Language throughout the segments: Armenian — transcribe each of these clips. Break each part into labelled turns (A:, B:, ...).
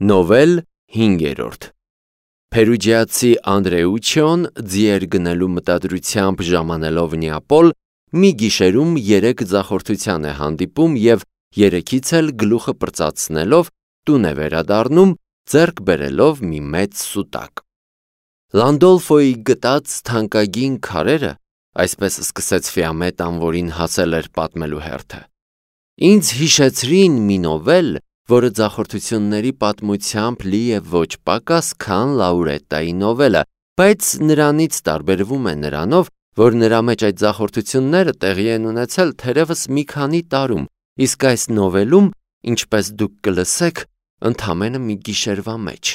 A: Նովել 5-րդ Փերուջիացի Անդրեուչոն ձիեր գնելու մտադրությամբ ժամանելով Նեապոլ մի գիշերում 3 ձախորդության է հանդիպում և 3-ից էլ գլուխը պրծացնելով տուն է վերադառնում ձեռք բերելով մի մեծ սուտակ։ Լանդոլֆոյի գտած թանկագին քարերը, այսպես սկսեց Ֆիամետան, որին հասել էր պատմելու հերթը, ինձ հիշեցրին մի նովել, որը ձախորդությունների պատմությամբ լի է ոչ պակաս, քան Լաուրետայի նովելը, բայց նրանից տարբերվում է նրանով, որ նրա մեջ այդ ձախորդությունները տեղի են ունեցել թերևս մի քանի տարում, իսկ այս նովելում, ինչպես դուք կլսեք, ընդամենը մի գիշերվա մեջ։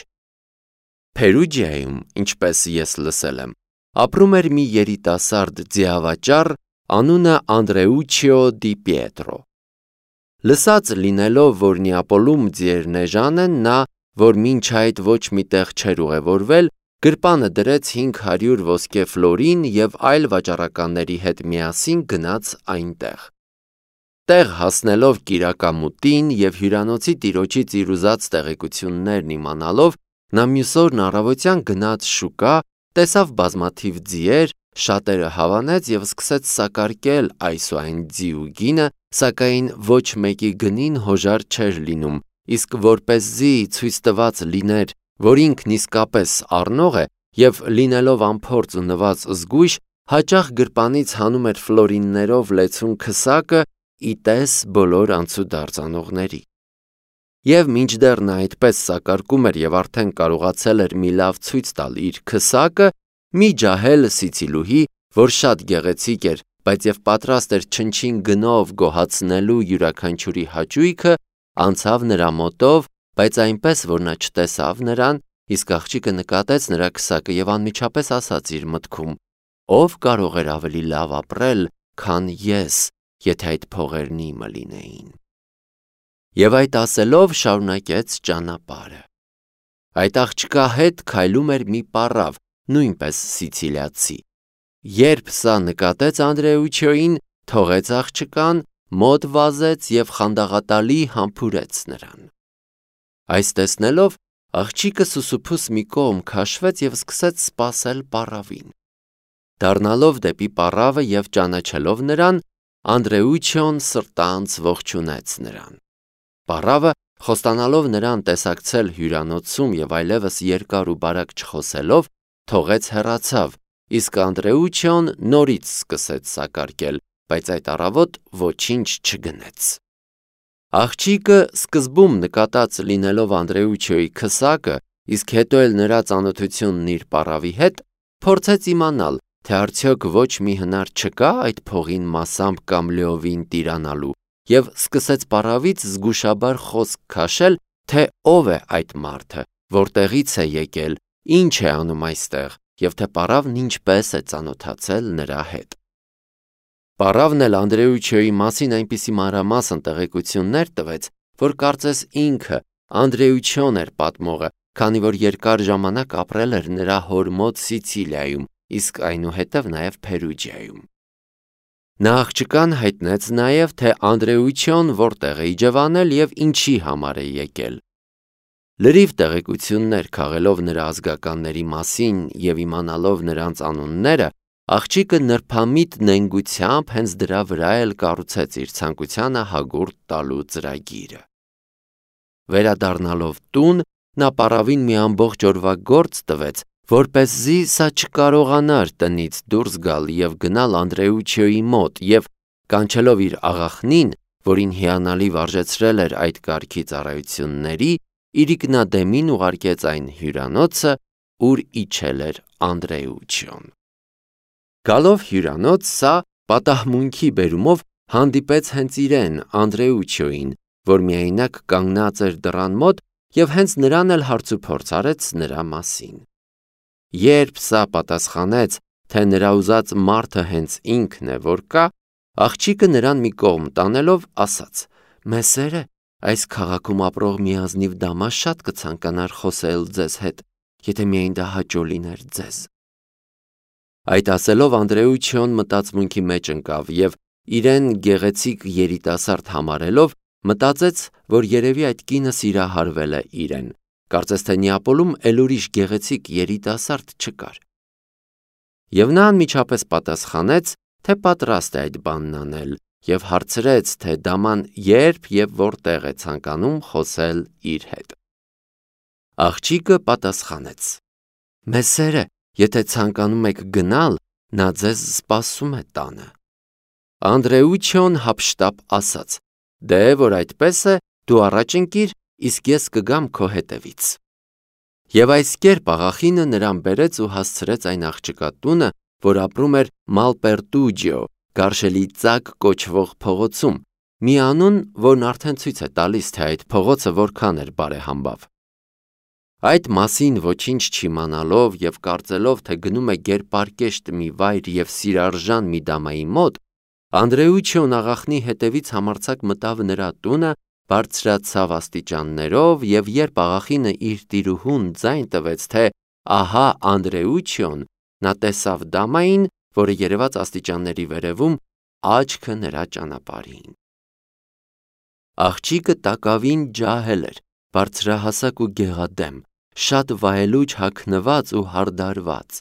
A: Փերուջիայում, ինչպես ես լսել եմ, ապրում էր մի երիտասարդ ձիավաճառ, անունը Անդրեուչիո դի Պիետրո։ Լսած լինելով, որ Նեապոլում ձիերն էժան են, նա, որ մինչ այդ ոչ մի տեղ չէր ուղևորվել, գրպանը դրեց 500 ոսկե ֆլորին և այլ վաճառականների հետ միասին գնաց այնտեղ։ Տեղ հասնելով կիրակամուտին և հյուրանոցի տիրոջից իր ուզած տեղեկություններն իմանալով, նա մյուս օրն առավոտյան գնաց շուկա, տեսավ բազմաթիվ ձիեր, շատերը հավանեց և սկսեց սակարկել այս ու այն ձի ու գինը, սակայն ոչ մեկի գնին հոժար չէր լինում, իսկ որպեսզի ցույց տված լիներ, որ ինքն իսկապես առնող է և լինելով անփորձ ու նված զգույշ, հաճախ գրպանից հանում էր ֆլորիններով լեցուն քսակը ի տես բոլոր անցուդարձ անողների։ Եվ մինչդեռ նա այդպես սակարկում էր և արդեն կարողացել էր մի լավ ցույց տալ իր քսակը, մի ջահել սիցիլուհի, որ շատ գեղեցիկ էր, բայց և պատրաստ էր չնչին գնով գոհացնելու յուրաքանչյուրի հաճույքը, անցավ նրա մոտով, բայց այնպես, որ նա չտեսավ նրան, իսկ աղջիկը նկատեց նրա քսակը և անմիջապես ասաց իր մտքում. «Ով կարող էր ավելի լավ ապրել, քան ես, եթե այդ փողերն իմը լինեին»։ Եվ այդ ասելով շարունակեց ճանապարհը։ Այդ աղջկա հետ քայլում էր մի պառավ, նույնպես սիցիլիացի։ Երբ սա նկատեց Անդրեուչոյին, թողեց աղջկան, մոտ վազեց և խանդաղատալի համբուրեց նրան։ Այս տեսնելով, աղջիկը սուսուփուս մի կողմ քաշվեց և սկսեց սպասել պառավին։ Դառնալով դեպի պառավը և ճանաչելով նրան, Անդրեուչոն սրտանց ողջունեց նրան։ Պառավը, խոստանալով նրան տեսակցել հյուրանոցում և այլևս երկար ու բարակ չխոսելով, թողեց հեռացավ, իսկ Անդրեուչոն նորից սկսեց սակարկել, բայց այդ առավոտ ոչինչ չգնեց։ Աղջիկը սկզբում նկատած լինելով Անդրեուչոյի քսակը, իսկ հետո էլ նրա ծանոթությունն իր պառավի հետ, փորձեց իմանալ, թե արդյոք ոչ մի հնար չկա այդ փողին մասամբ կամ լիովին տիրանալու, և սկսեց պառավից զգուշաբար խոսք քաշել, թե ով է այդ մարդը, որտեղից է եկել, ինչ է անում այստեղ, և թե պառավն ինչպես է ծանոթացել նրա հետ։ Պառավն էլ Անդրեուչոյի մասին այնպիսի մանրամասն տեղեկություններ տվեց, որ կարծես ինքը Անդրեուչոն էր պատմողը, քանի որ երկար ժամանակ ապրել էր նրա հոր մոտ Սիցիլիայում, իսկ այնուհետև նաև Փերուջիայում։ Նա աղջկան հայտնեց նաև, թե Անդրեուչոն որտեղ է իջևանել և ինչի համար է եկել։ Լրիվ տեղեկություններ քաղելով նրա ազգականների մասին և իմանալով նրանց անունները, աղջիկը նրբամիտ նենգությամբ հենց դրա վրա էլ կառուցեց իր ցանկությանը հագուրդ տալու ծրագիրը։ Վերադառնալով տուն, նա պառավին մի ամբողջ օրվա գործ տվեց, որպեսզի սա չկարողանար տնից դուրս գալ և գնալ Անդրեուչոյի մոտ և, կանչելով իր աղախնին, որին հիանալի վարժեցրել էր այդ կարգի ծառայությունների, իրիկնադեմին ուղարկեց այն հյուրանոցը, ուր իջել էր Անդրեուչոն։ Գալով հյուրանոց, սա պատահմունքի բերումով հանդիպեց հենց իրեն, Անդրեուչոյին, որ միայնակ կանգնած էր դռան մոտ և հենց նրան էլ հարցուփորձ արեց նրա մասին։ Երբ սա պատասխանեց, թե նրա ուզած մարդը հենց ինքն է, որ կա, աղջիկը նրան մի կողմ տանելով ասաց. «Մեսերը, այս քաղաքում ապրող մի ազնիվ դամա շատ կցանկանար խոսել ձեզ հետ, եթե միայն դա հաճո լիներ ձեզ»։ Այդ ասելով Անդրեուչոն մտածմունքի մեջ ընկավ և իրեն գեղեցիկ երիտասարդ համարելով, մտածեց, որ երևի այդ կինը սիրահարվել է իրեն, Կարծես թե Նեապոլում էլ ուրիշ գեղեցիկ երիտասարդ չկար։ Եվ նա անմիջապես պատասխանեց, թե պատրաստ է այդ բանն անել, եւ հարցրեց, թե դաման երբ եւ որտեղ է ցանկանում խոսել իր հետ։ Աղջիկը պատասխանեց. «Մեսերը, եթե ցանկանում եք գնալ, նա ձեզ սպասում է տանը»։ Անդրեուչոն հափշտապ ասաց. «Դե որ այդպես է, դու առաջ ընկիր, իսկ ես կգամ քո հետևից»։ Եվ այս կերպ աղախինը նրան բերեց ու հասցրեց այն աղջկա տունը, որ ապրում էր Մալպերտուջիո, Գարշելի ծակ կոչվող փողոցում, մի անուն, որն արդեն ցույց է տալիս, թե այդ փողոցը որքան էր բարեհամբավ։ Այդ մասին ոչինչ չիմանալով եւ կարծելով, թե գնում է գերպարկեշտ մի վայր եւ սիրարժան մի դամայի մոտ, Անդրեուչոն աղախնի հետևից համարձակ մտավ նրա տունը, բարձրացավ աստիճաններով եւ երբ աղախինը իր տիրուհուն ձայն տվեց, թե ահա Անդրեուչոն, նա տեսավ դամային, որը երևաց աստիճանների վերևում, աչքը նրա ճանապարհին։ Աղջիկը տակավին ջահել էր, բարձրահասակ ու գեղադեմ, շատ վայելուչ հագնված ու հարդարված։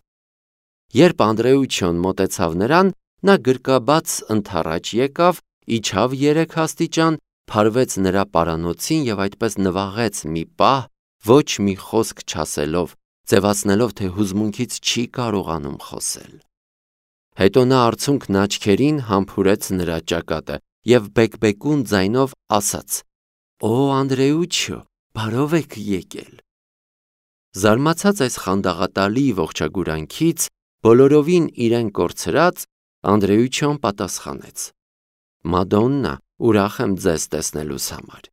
A: Երբ Անդրեուչոն մոտեցավ նրան, նա գրկաբաց ընդառաջ եկավ, իջավ 3 աստիճան, փարվեց նրա պարանոցին եւ այդպես նվաղեց մի պահ, ոչ մի խոսք չասելով, ձևացնելով, թե հուզմունքից չի կարողանում խոսել։ Հետո նա արցունքն աչքերին համբուրեց նրա ճակատը եւ բեկբեկուն ձայնով ասաց. «Օ Անդրեուչո, բարով եք եկել»։ Զարմացած այս խանդաղատալի ողջագուրանքից, բոլորովին իրեն կորցրած, Անդրեուչոն պատասխանեց. «Մադոննա, ուրախ եմ ձեզ տեսնելուս համար»։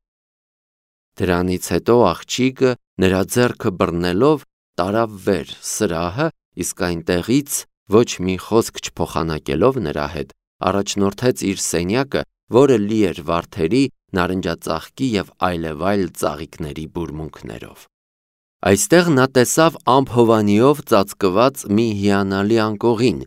A: Դրանից հետո աղջիկը նրա ձեռքը բռնելով տարավ վեր սրահը, իսկ այնտեղից ոչ մի խոսք չփոխանակելով նրա հետ, առաջնորդեց իր սենյակը, որը լի էր վարդերի, նարնջածաղկի եւ այլևայլ ծաղիկների բուրմունքներով։ Այստեղ նա տեսավ ամփովանիով ծածկված մի հիանալի անկողին,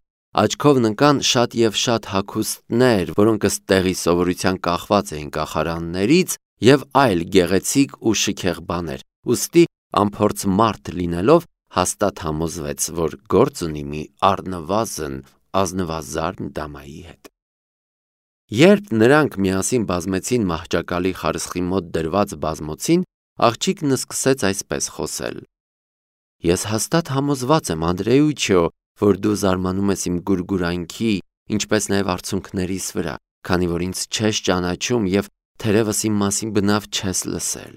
A: աչքով ընկան շատ եւ շատ հագուստներ, որոնք ըստ տեղի սովորության կախված էին կախարաններից եւ այլ գեղեցիկ ու շքեղ բաներ, ուստի անփորձ մարդ լինելով հաստատ համոզվեց, որ գործ ունի մի առնվազն ազնվազարդ դամայի հետ։ Երբ նրանք միասին բազմեցին մահճակալի խարսխի մոտ դրված բազմոցին, աղջիկն սկսեց այսպես խոսել. «Ես հաստատ համոզված եմ, Անդրեուչո, որ դու զարմանում ես իմ գուրգուրանքի, ինչպես նաև արցունքներիս վրա, քանի որ ինձ չես ճանաչում եւ թերևս իմ մասին բնավ չես լսել։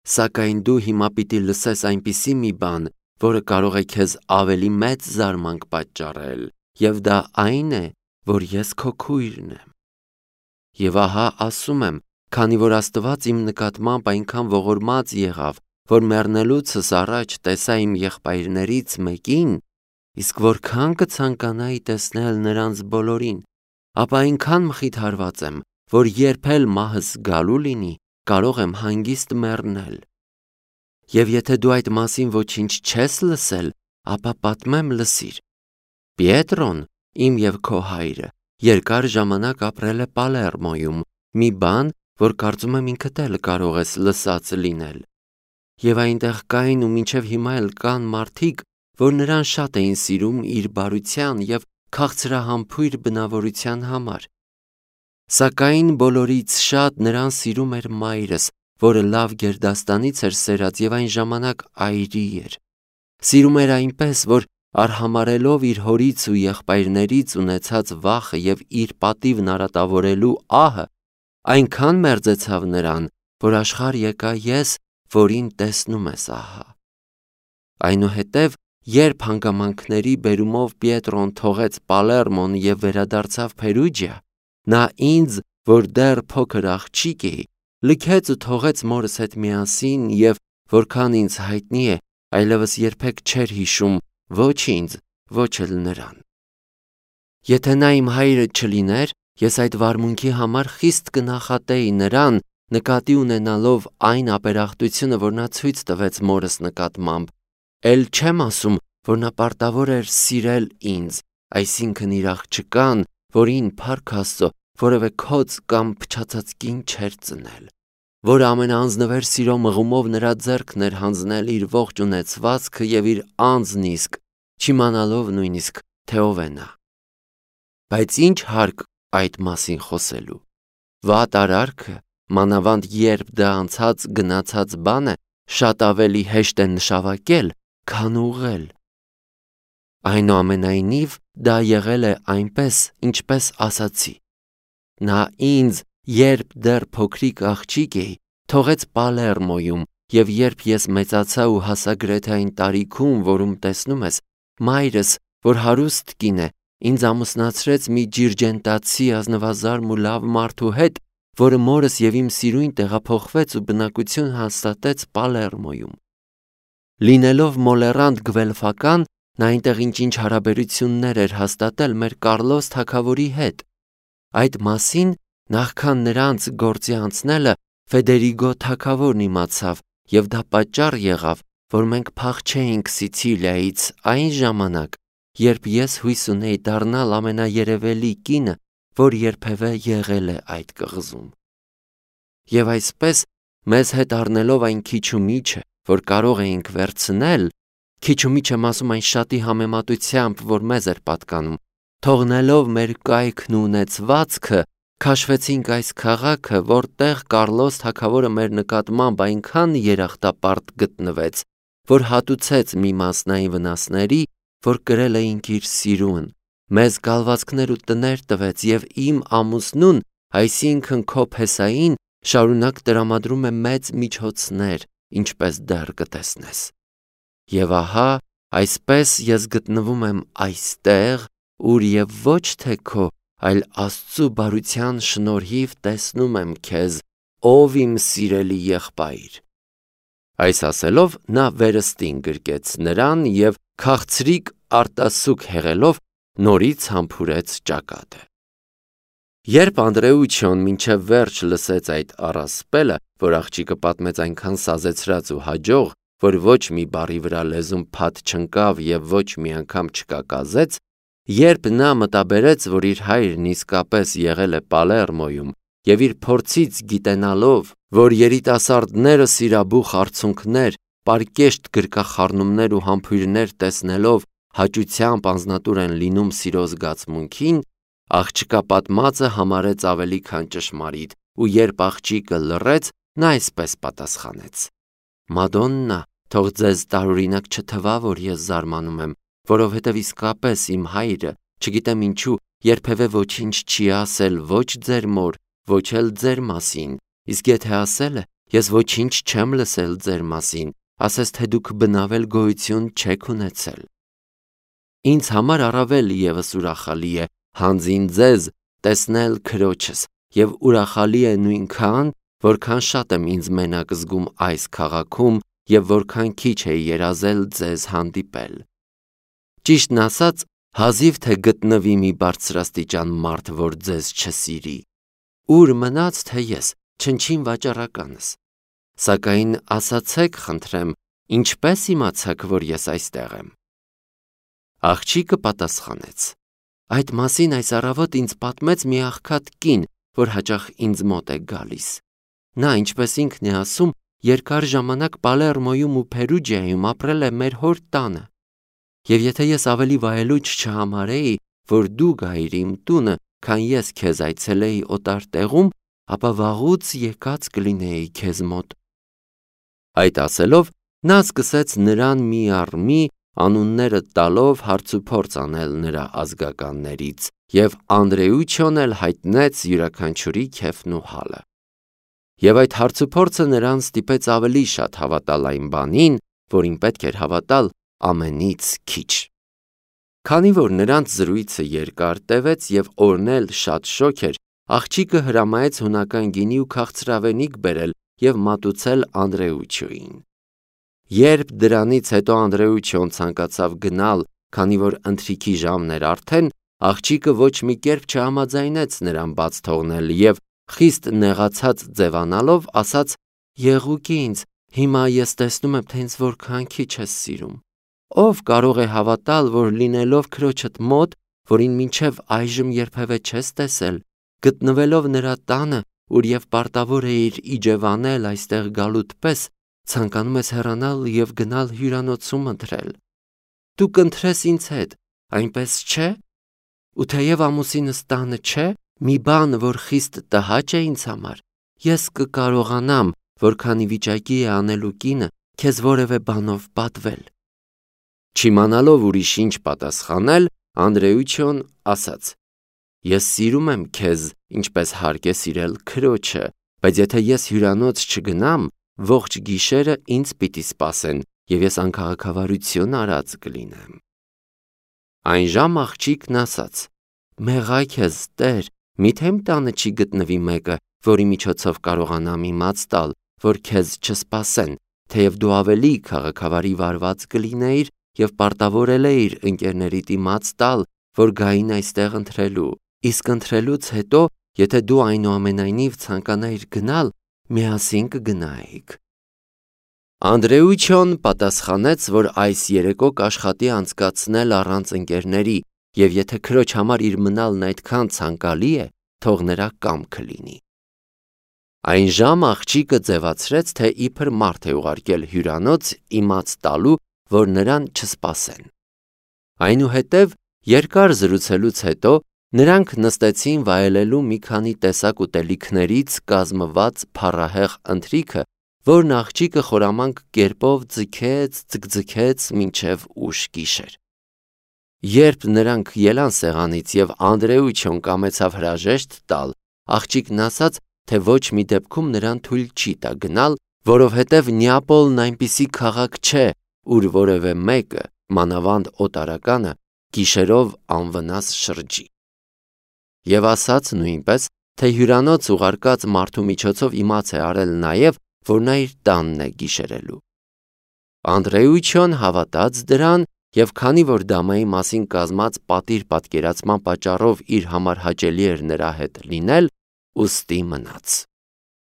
A: Սակայն դու հիմա պիտի լսես այնպիսի մի բան, որը կարող է քեզ ավելի մեծ զարմանք պատճառել, եւ դա այն է, որ ես քո քույրն եմ։ Եվ ահա ասում եմ, քանի որ Աստված իմ նկատմամբ այնքան ողորմած եղավ, որ մեռնելուցս առաջ տեսա իմ եղբայրներից մեկին, իսկ որքան կցանկանայի տեսնել նրանց բոլորին, ապա այնքան մխիթարված եմ, որ երբ էլ մահս գալու լինի, կարող եմ հանգիստ մեռնել։ Եվ եթե դու այդ մասին ոչինչ չես լսել, ապա պատմեմ լսիր։ Պիետրոն, իմ եւ քո հայրը, երկար ժամանակ ապրել է Պալերմոյում, մի բան, որ կարծում եմ ինքդ էլ կարող ես լսած լինել։ Եվ այնտեղ կային ու մինչև հիմա էլ կան մարդիկ, որ նրան շատ էին սիրում իր բարության եւ քաղցրահամբույր բնավորության համար։ Սակայն բոլորից շատ նրան սիրում էր մայրս, որը լավ գերդաստանից էր սերած եւ այն ժամանակ այրի էր։ Սիրում էր այնպես, որ արհամարելով իր հորից ու եղբայրներից ունեցած վախը եւ իր պատիվն արատավորելու ահը, այնքան մերձեցավ նրան, որ աշխարհ եկա ես, որին տեսնում ես ահա։ Այնուհետև, երբ հանգամանքների բերումով Պիետրոն թողեց Պալերմոն եւ վերադարձավ Փերուջիա, նա ինձ, որ դեռ փոքր աղջիկ էի, լքեց ու թողեց մորս հետ միասին եւ որքան ինձ հայտնի է, այլևս երբեք չէր հիշում ոչ ինձ, ոչ էլ նրան։ Եթե նա իմ հայրը չլիներ, ես այդ վարմունքի համար խիստ կնախատեի նրան, նկատի ունենալով այն ապերախտությունը, որ նա ցույց տվեց մորս նկատմամբ, էլ չեմ ասում, որ նա պարտավոր էր սիրել ինձ, այսինքն իր աղջկան, որին Փառք Աստծո որևէ քոծ կամ փչացած կին չէր ծնել։ որ ամենաանձնվեր սիրո մղումով նրա ձեռքն էր հանձնել իր ողջ ունեցվածքը և իր անձն իսկ, չիմանալով նույնիսկ, թե ով է նա։ Բայց ինչ հարկ այդ մասին խոսելու։ Վատ արարքը, մանավանդ երբ դա անցած գնացած բան է, շատ ավելի հեշտ է նշավակել, քան ուղղել։ Այնուամենայնիվ, դա եղել է այնպես, ինչպես ասացի։ Նա ինձ, երբ դեռ փոքրիկ աղջիկ էի, թողեց Պալերմոյում, և երբ ես մեծացա ու հասա գրեթե այն տարիքում, որում տեսնում ես, մայրս, որ հարուստ կին է, ինձ ամուսնացրեց մի ջիրջենտացի ազնվազարմ ու լավ մարդու հետ, որը մորս և իմ սիրույն տեղափոխվեց ու բնակություն հաստատեց Պալերմոյում։ Լինելով մոլեռանդ գվելֆական, նա այնտեղ ինչ-ինչ հարաբերություններ էր հաստատել մեր Կառլոս թագավորի հետ։ Այդ մասին, նախքան նրանց գործի անցնելը, Ֆեդերիգո թագավորն իմացավ, և դա պատճառ եղավ, որ մենք փախչեինք Սիցիլիայից այն ժամանակ, երբ ես հույս ունեի դառնալ ամենաերևելի կինը, որ երբևէ եղել է այդ կղզում։ Եվ այսպես, մեզ հետ առնելով այն քիչումիչը, որ կարող էինք վերցնել, քիչումիչ եմ ասում այն շատի համեմատությամբ, որ մեզ էր պատկանում, թողնելով մեր կայքն ու ունեցվածքը, քաշվեցինք այս քաղաքը, որտեղ Կառլոս թագավորը մեր նկատմամբ այնքան երախտապարտ գտնվեց, որ հատուցեց մի մասնային վնասների, որ կրել էինք իր սիրուն, մեզ գալվածքներ ու տներ տվեց և իմ ամուսնուն, այսինքն քո Փեսային, շարունակ տրամադրում է մեծ միջոցներ, ինչպես դեռ կտեսնես։ Եվ ահա, այսպես ես գտնվում եմ այստեղ, ուր և ոչ թե քո, այլ Աստծու բարության շնորհիվ տեսնում եմ քեզ, ով իմ սիրելի եղբայր։ Այս ասելով նա վերստին գրկեց նրան և քաղցրիկ արտասուք հեղելով նորից համբուրեց ճակատը։ Երբ Անդրեուչոն մինչև վերջ լսեց այդ առասպելը, որ աղջիկը պատմեց այնքան սազեցրած ու հաջող, որ ոչ մի բառի վրա լեզուն փաթ չընկավ և ոչ մի անգամ չկակազեց, երբ նա մտաբերեց, որ իր հայրն իսկապես եղել է Պալերմոյում և իր փորձից գիտենալով, որ երիտասարդները սիրաբուխ արցունքներ, պարկեշտ գրկախառնումներ ու համբույրներ տեսնելով հաճությամբ անձնատուր են լինում սիրո զգացմունքին, աղջկա պատմածը համարեց ավելի քան ճշմարիտ, ու երբ աղջիկը լռեց, նա այսպես պատասխանեց. Մադոննա, թող ձեզ տարօրինակ չթվա, որ ես զարմանում եմ, որովհետև իսկապես իմ հայրը, չգիտեմ ինչու, երբևէ ոչինչ չի ասել ոչ ձեր մոր, ոչ էլ ձեր մասին, իսկ եթե ասել է, ես ոչինչ չեմ լսել ձեր մասին, ասես թե դուք բնավել գոյություն չեք ունեցել։ Ինձ համար առավել ևս ուրախալի է հանձին ձեզ տեսնել քրոջս և ուրախալի է նույնքան, որքան շատ եմ ինձ մենակ զգում այս քաղաքում և որքան քիչ է երազել ձեզ հանդիպել։ Ճիշտն ասած, հազիվ թե գտնվի մի բարձրաստիճան մարդ, որ ձեզ չսիրի։ Ուր մնաց թե ես, չնչին վաճառականս։ Սակայն ասացեք, խնդրեմ, ինչպես իմացաք, որ ես այստեղ եմ։ Աղջիկը պատասխանեց. Այդ մասին այս առավոտ ինձ պատմեց մի աղքատ կին, որ հաճախ ինձ մոտ է գալիս։ Նա, ինչպես ինքն է ասում, երկար ժամանակ Պալերմոյում ու Փերուջիայում ապրել է մեր հոր տանը։ Եվ եթե ես ավելի վայելուչ չհամարեի, որ դու գայիր իմ տունը, քան ես քեզ այցելեի օտար տեղում, ապա վաղուց եկած կլինեի քեզ մոտ։ Այդ ասելով, նա սկսեց նրան մի առ մի անունները տալով հարցուփորձ անել նրա ազգականներից, և Անդրեուչոն էլ հայտնեց յուրաքանչյուրի քեֆն ու հալը։ Եվ այդ հարցուփորձը նրան ստիպեց ավելի շատ հավատալ այն բանին, որին պետք էր հավատալ ամենից քիչ։ Քանի որ նրանց զրույցը երկար տևեց և օրն էլ շատ շոգ էր, աղջիկը հրամայեց հունական գինի ու քաղցրավենիք բերել և մատուցել Անդրեուչոյին։ Երբ դրանից հետո Անդրեուչոն ցանկացավ գնալ, քանի որ ընթրիքի ժամն էր արդեն, աղջիկը ոչ մի կերպ չհամաձայնեց նրան բաց թողնել և խիստ նեղացած ձևանալով ասաց. «Եղուկ ինձ, հիմա ես տեսնում եմ, թե ինձ որքան քիչ ես սիրում։ Ով կարող է հավատալ, որ լինելով քրոջդ մոտ, որին մինչև այժմ երբևէ չես տեսել, գտնվելով նրա տանը, ուր եւ պարտավոր էիր իջևանել այստեղ գալուտ պես, ցանկանում ես հեռանալ եւ գնալ հյուրանոցում ընթրել։ Դու կընթրես ինձ հետ, այնպես չէ։ Ու թեև ամուսինս տանը չէ, մի բան, որ խիստ տհաճ է ինձ համար, ես կկարողանամ, որքանի վիճակի է անելու կինը, քեզ որևէ բանով պատվել։ Չիմանալով ուրիշ ինչ պատասխանել, Անդրեուչոն ասաց. Ես սիրում եմ քեզ, ինչպես հարկ է սիրել քրոջը, բայց եթե ես հյուրանոց չգնամ, ողջ գիշերը ինձ պիտի սպասեն, եւ ես անքաղաքավարություն արած կլինեմ։ Այն ժամ աղջիկն ասաց. Մեղա քեզ, Տեր, միթե իմ տանը չի գտնվի մեկը, որի միջոցով կարողանամ իմաց տալ, որ քեզ չսպասեն, թեև դու ավելի քաղաքավարի վարված կլինեիր եւ պարտավորել էիր ընկերներիդ իմաց տալ, որ գային այստեղ ընթրելու, իսկ ընթրելուց հետո, եթե դու այնուամենայնիվ ցանկանայիր գնալ, միասին կգնայիք։ Անդրեուչոն պատասխանեց, որ այս երեկո կաշխատի անցկացնել առանց ընկերների, եւ եթե քրոջ համար իր մնալն այդքան ցանկալի է, թող նրա կամքը լինի։ Այն ժամ աղջիկը ձևացրեց, թե իբր մարդ է ուղարկել հյուրանոց իմաց տալու, որ նրան չսպասեն։ Այնուհետև երկար զրուցելուց հետո նրանք նստեցին վայելելու մի քանի տեսակ ուտելիքներից կազմված փառահեղ ընթրիքը, որն աղջիկը խորամանկ կերպով ձգձգեց մինչև ուշ գիշեր։ Երբ նրանք ելան սեղանից եւ Անդրեուչոն կամեցավ հրաժեշտ տալ, աղջիկն ասաց, թե ոչ մի դեպքում նրան թույլ չի տա գնալ, որովհետև Նեապոլն այնպիսի քաղաք չէ, ուր որևէ մեկը, մանավանդ օտարականը, գիշերով անվնաս շրջի։ Եվ ասաց նույնպես, թե հյուրանոց ուղարկած մարդու միջոցով իմաց է արել նաև, որ նա իր տանն է գիշերելու։ Անդրեուչոն հավատաց դրան եւ քանի որ դամայի մասին կազմած պատիր պատկերացման պատճառով իր համար հաճելի էր նրա հետ լինել, ուստի մնաց։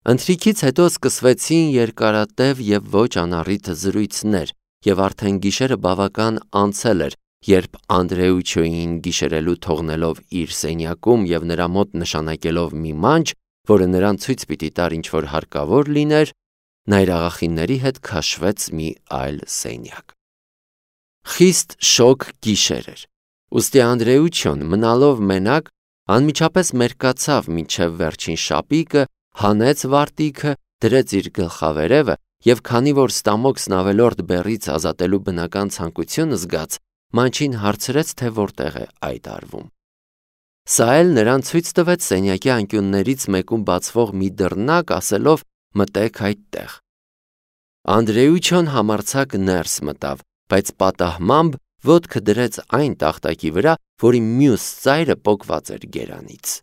A: Ընթրիքից հետո սկսվեցին երկարատև եւ ոչ անառիթ զրույցներ, եւ արդեն գիշերը բավական անցել էր, երբ Անդրեուչոյին գիշերելու թողնելով իր սենյակում եւ նրա մոտ նշանակելով մի մանչ, որը նրան ցույց պիտի տար ինչ որ հարկավոր լիներ, նա իր աղախինների հետ քաշվեց մի այլ սենյակ։ Խիստ շոգ գիշեր էր։ Ուստի Անդրեուչոն մնալով մենակ անմիջապես մերկացավ մինչև վերջին շապիկը, հանեց վարտիքը, դրեց իր գլխավերևը եւ քանի որ ստամոքսն ավելորդ բեռից ազատելու բնական ցանկություն զգաց, մանչին հարցրեց, թե որտեղ է այդ արվում։ Սա էլ նրան ցույց տվեց սենյակի անկյուններից մեկում բացվող մի դռնակ, ասելով. մտեք այդտեղ։ Անդրեուչոն համարձակ ներս մտավ, բայց պատահմամբ ոտքը դրեց այն տախտակի վրա, որի մյուս ծայրը պոկված էր գերանից։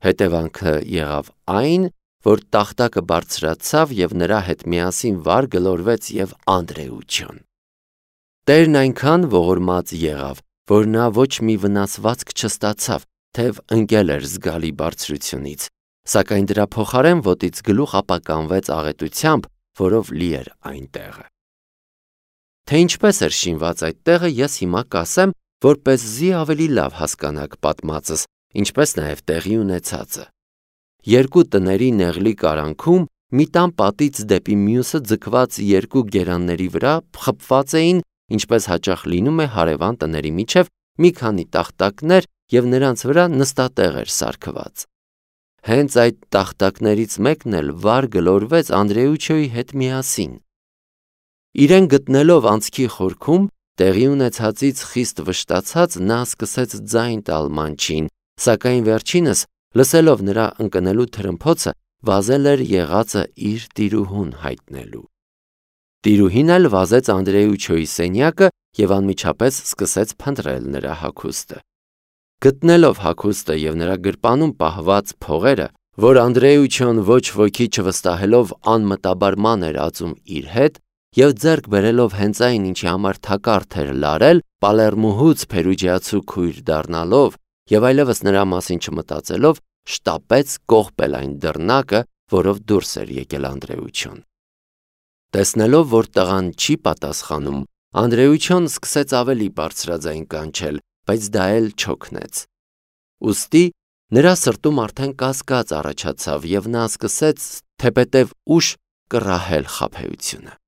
A: Հետևանքը եղավ այն, որ տախտակը բարձրացավ եւ նրա հետ միասին վար գլորվեց եւ Անդրեուչոն։ Տերն այնքան ողորմած եղավ, որ նա ոչ մի վնասվածք չստացավ, թեև ընկել էր զգալի բարձրությունից, սակայն դրա փոխարեն ոտից գլուխ ապականվեց աղետությամբ, որով լի էր այն տեղը։ Թե ինչպես էր շինված այդ տեղը, ես հիմա կասեմ, որպեսզի ավելի լավ հասկանաք պատմածս, ինչպես նաև տեղի ունեցածը։ Երկու տների նեղլիկ արանքում մի տան պատից դեպի մյուսը ձգված երկու գերանների վրա խփված էին, ինչպես հաճախ լինում է հարևան տների միջև, մի քանի տախտակներ եւ նրանց վրա նստատեղ էր սարքված։ Հենց այդ տախտակներից մեկն էլ վար գլորվեց Անդրեուչոյի հետ միասին։ Իրեն գտնելով անցքի խորքում, տեղի ունեցածից խիստ վշտացած նա սկսեց ձայն տալ մանչին, սակայն վերջինս, լսելով նրա ընկնելու թրմփոցը, վազել էր եղածը իր տիրուհուն հայտնելու։ Տիրուհին էլ վազեց Անդրեուչոյի սենյակը եւ անմիջապես սկսեց փնտրել նրա հագուստը։ Գտնելով հագուստը եւ նրա գրպանում պահված փողերը, որ Անդրեուչոն ոչ ոքի չվստահելով անմտաբար ման էր ածում իր հետ, եւ ձեռք բերելով հենց այն, ինչի համար թակարդ էր լարել, Պալերմուհուց Փերուջիացու քույր դառնալով եւ այլևս նրա մասին չմտածելով, շտապեց կողպել այն դռնակը, որով դուրս էր եկել Անդրեուչոն։ Տեսնելով, որ տղան չի պատասխանում, Անդրեուչոն սկսեց ավելի բարձրաձայն կանչել, բայց դա էլ չօգնեց։ Ուստի Նրա սրտում արդեն կասկած առաջացավ, եւ նա սկսեց թեպետև ուշ կռահել խաբեությունը։